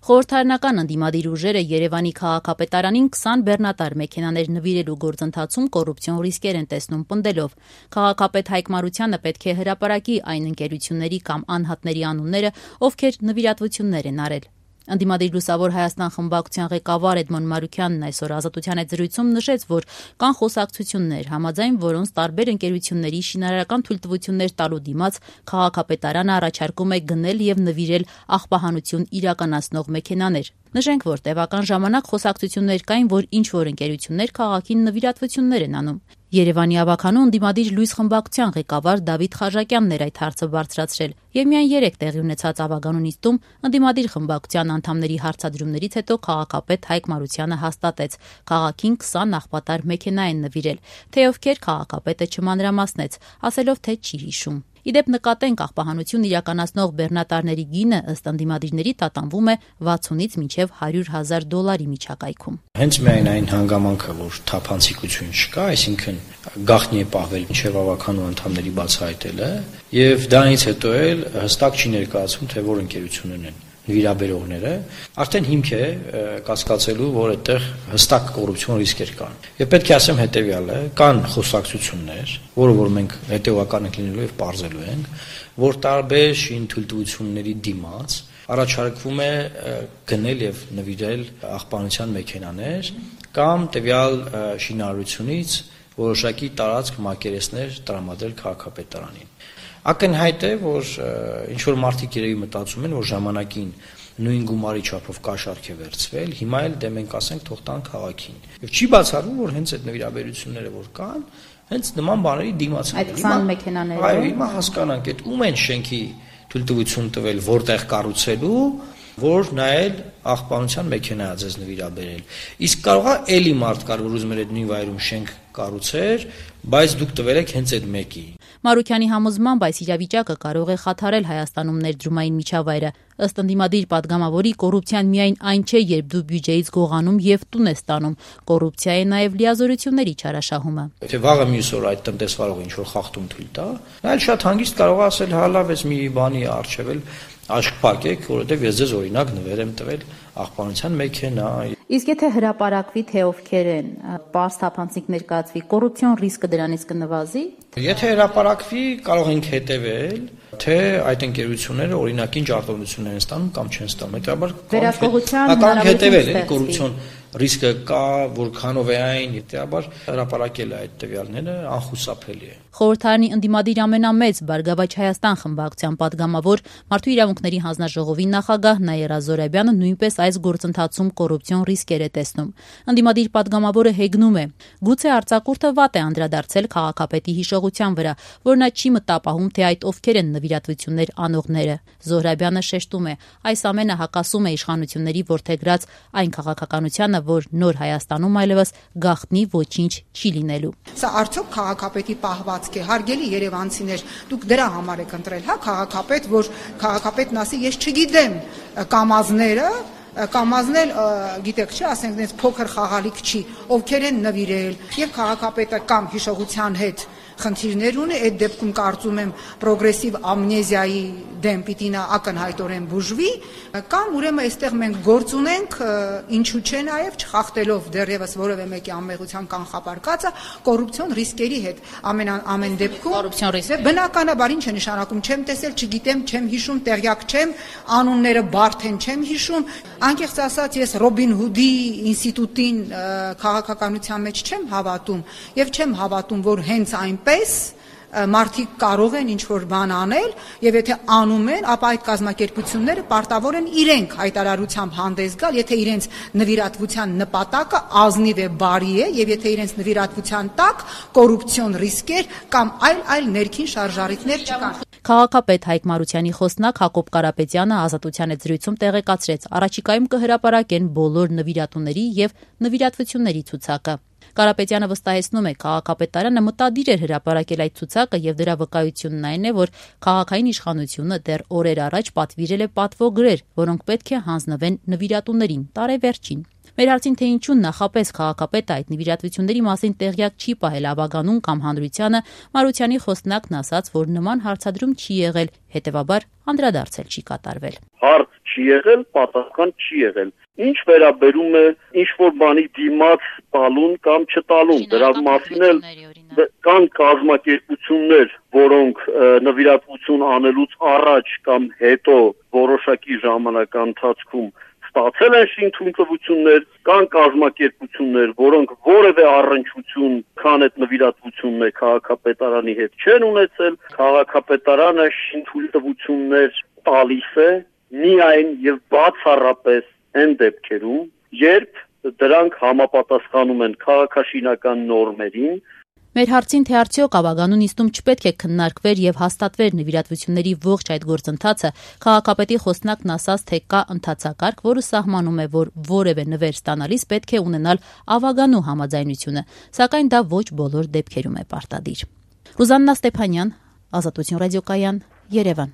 Խորհրդարանական ընդդիմադիր ուժերը Երևանի քաղաքապետարանին 20 բեռնատար մեքենաներ նվիրելու գործընթացում կոռուպցիոն ռիսկեր են տեսնում պնդելով։ Քաղաքապետ Հայկ Մարությանը պետք է հրապարակի այն ընկերությունների կամ անհատների անունները, ովքեր նվիրատվություններ են արել։ Ընդդիմադիր Լուսավոր Հայաստան խմբակցության ղեկավար Էդմոն Մարուքյանն այսօր Ազատության հետ զրույցում նշեց, որ կան խոսակցություններ, համաձայն որոնց տարբեր ընկերությունների շինարարական թույլտվություններ տալու դիմաց քաղաքապետարանը առաջարկում է գնել եւ նվիրել աղբահանություն իրականացնող մեքենաներ։ Նշենք, որ տևական ժամանակ խոսակցություններ կային, որ ինչ-որ ընկերություններ քաղաքին նվիրատվություններ են անում։ Երևանի ավականու ընդդիմադիր Լույս խմբակցության ղեկավար Դավիթ Խաժակյանն էր այդ հարցը բարձրացրել եւ միայն 3 տեղի ունեցած ավականու նիստում ընդդիմադիր խմբակցության անդամների հարցադրումներից հետո քաղաքապետ Հայկ Մարությանը հաստատեց, քաղաքին 20 աղբատար մեքենա են նվիրել, թե ովքեր քաղաքապետը չմանրամասնեց, ասելով թե չի հիշում։ Իդեպ նկատենք աղբահանություն իրականացնող բեռնատարների գինը ըստ ընդդիմադիրների տատանվում է 60-ից մինչև $100,000 միջակայքում։ Հենց միայն այն հանգամանքը, որ թափանցիկություն չկա, այսինքն գաղտնի է պահվել մինչև ավականու անդամների բացահայտելը, եւ դրանից հետո էլ հստակ չի ներկայացվում, թե որ ընկերություններն են նվիրաբերողները, արդեն հիմք է կասկածելու, որ այդտեղ հստակ կոռուպցիոն ռիսկեր կան։ Եվ պետք է ասեմ հետեւյալը, կան խոսակցություններ, որը որ մենք հետեւական ենք լինելու եւ պարզելու ենք, որ տարբեր շին թույլտվությունների դիմաց առաջարկվում է գնել եւ նվիրել աղբանության մեքենաներ կամ տվյալ շինարարությունից որոշակի տարածք մակերեսներ տրամադրել քաղաքապետարանին։ Ակնհայտ է, որ ինչ-որ մարդիկ երևի մտածում են, որ ժամանակին նույն գումարի չափով կաշառք է վերցվել, հիմա էլ դե մենք ասենք թող տան քաղաքին։ Եվ չի բացառվում, որ հենց այդ նվիրաբերությունները որ կան, հենց նման բաների դիմաց են։ Այդ 20 մեքենաները։ Այո, հիմա հասկանանք, այդ ում են շենքի թույլտվություն տվել, որտեղ կառուցելու, որ նայել աղբանության մեքենա է ձեզ նվիրաբերել։ Իսկ կարող է էլի մարդ կար, որ ուզում էր այդ նույն վայրում շենք կառուցեր, բայց դուք տվել եք հենց այդ մեկի։ Մարուքյանի համոզմամբ այս իրավիճակը կարող է խաթարել Հայաստանում ներդրումային միջավայրը։ Ըստ ընդդիմադիր պատգամավորի կոռուպցիան միայն այն չէ, երբ դու բյուջեից գողանում եւ տուն ես տանում։ Կոռուպցիա է նաեւ լիազորությունների չարաշահումը։ Եթե վաղը մյուս օր այդ տնտեսվարողը ինչ-որ խախտում թույլ տա, նա էլ շատ հանգիստ կարող է ասել, հա լավ, ես մի բանի արժեվել աշկ փակեք, որովհետեւ ես ձեզ օրինակ նվեր եմ տվել աղբանության մեքենա։ Իսկ եթե հրապարակվի, թե ովքեր են, պարզ թափանցիկ ներկայացվի, կոռուպցիոն ռիսկը դրանից կնվազի։ Եթե հրապարակվի, կարող ենք հետևել, թե այդ ընկերությունները օրինակին ջարդողություններ են ստանում կամ չեն ստանում։ Հետաբար վերահսկողության հետևել է կոռուպցիոն ռիսկը կա, որքանով է այն, հետաբար հրապարակել է այդ տվյալները անխուսափելի է։ Խորհրդարանի ընդդիմադիր ամենամեծ Բարգավաճ Հայաստան խմբակցության պատգամավոր Մարդու իրավունքների հանձնաժողովի նախագահ Նաիրա Զորաբյանը նույնպես այս գործընթացում կոռուպցիոն ռիսկեր է տեսնում։ Ընդդիմադիր պատգամավորը հեգնում է. գուցե արձակուրդը վատ է անդրադարձել քաղաքապետի հիշողության վրա, որ նա չի մտապահում, թե այդ ովքեր են նվիրատվություններ անողները։ Զորաբյանը շեշտում է. այս ամենը հակասում է իշխանությունների որդեգրած այն քաղաքականությանը, որ նոր Հայաստանում այլևս գաղտնի ոչինչ չի լինելու։ Սա արդյոք քաղաքապետի պահվածք է, հարգելի երևանցիներ, դուք դրա համար եք ընտրել, հա, քաղաքապետ, որ քաղաքապետն ասի, ես չգիտեմ կամազնել, գիտեք չէ, ասենք դες փոքր խաղալիք չի, ովքեր են նվիրել, եւ քաղաքապետը կամ հիշողության հետ խնդիրներ ունի, այդ դեպքում կարծում եմ պրոգրեսիվ ամնեզիայի դեմ պիտի նա ակնհայտորեն բուժվի, կամ ուրեմն այստեղ մենք գործ ունենք, ինչու՞ չէ նաև չխախտելով դեռևս որևէ մեկի անմեղության կանխապարկածը կոռուպցիոն ռիսկերի հետ։ Ամեն դեպքում կոռուպցիոն ռիսկ բնականաբար ինչ է նշանակում, չեմ տեսել, չգիտեմ, չեմ հիշում, տեղյակ չեմ, անունները բարդ են, չեմ հիշում։ Անկեղծ ասած, ես Ռոբին Հուդի ինստիտուտին քաղաքականության մեջ չեմ հավատում եւ չեմ հավատում, որ հենց այնպես մարդիկ կարող են ինչ-որ բան անել եւ եթե անում են, ապա այդ կազմակերպությունները պարտավոր են իրենք հայտարարությամբ հանդես գալ, եթե իրենց նվիրատվության նպատակը ազնիվ է, բարի է եւ եթե իրենց նվիրատվության տակ կոռուպցիոն ռիսկեր կամ այլ ներքին շարժառիթներ չկան։ Քաղաքապետ Հայկ Մարությանի խոսնակ Հակոբ Կարապետյանը Ազատության հետ զրույցում տեղեկացրեց, առաջիկայում կհրապարակեն բոլոր նվիրատուների եւ նվիրատվությունների ցուցակը։ Կարապետյանը վստահեցնում է, քաղաքապետարանը մտադիր էր հրապարակել այդ ցուցակը եւ դրա վկայությունն այն է, որ քաղաքային իշխանությունը դեռ օրեր առաջ պատվիրել է պատվոգրեր, որոնք պետք է հանձնվեն նվիրատուներին տարեվերջին։ Մեր հարցին թե ինչու նախապես քաղաքապետը այդ նվիրատվությունների մասին տեղյակ չի պահել ավականուն կամ հանրությանը, Մարությանի խոսնակն ասաց, որ նման հարցադրում չի եղել, հետեւաբար անդրադարձել չի կատարվել։ Հարց չի եղել, պատասխան չի եղել։ Ինչ վերաբերում է ինչ-որ բանի դիմաց տալուն կամ չտալուն, դրա մասին էլ կան կազմակերպություններ, որոնք նվիրատվություն անելուց առաջ կամ հետո որոշակի ժամանակ ընթացքում ստացել են շինթույլտվություններ, կան կազմակերպություններ, որոնք որևէ առնչություն քան այդ նվիրատվությունն է քաղաքապետարանի հետ չեն ունեցել, քաղաքապետարանը շինթույլտվություններ տալիս է միայն եւ բացառապես այն դեպքերում, երբ դրանք համապատասխանում են քաղաքաշինական նորմերին։ Մեր հարցին, թե արդյոք Ավագանու նիստում չպետք է քննարկվեր եւ հաստատվեր նվիրատվությունների ողջ այդ գործընթացը, քաղաքապետի խոսնակն ասաց, թե կա ընթացակարգ, որը սահմանում է, որ որևէ նվեր ստանալիս պետք է ունենալ Ավագանու համաձայնությունը, սակայն դա ոչ բոլոր դեպքերում է պարտադիր։ Ռուզաննա Ստեփանյան, Ազատություն ռադիոկայան, Երևան։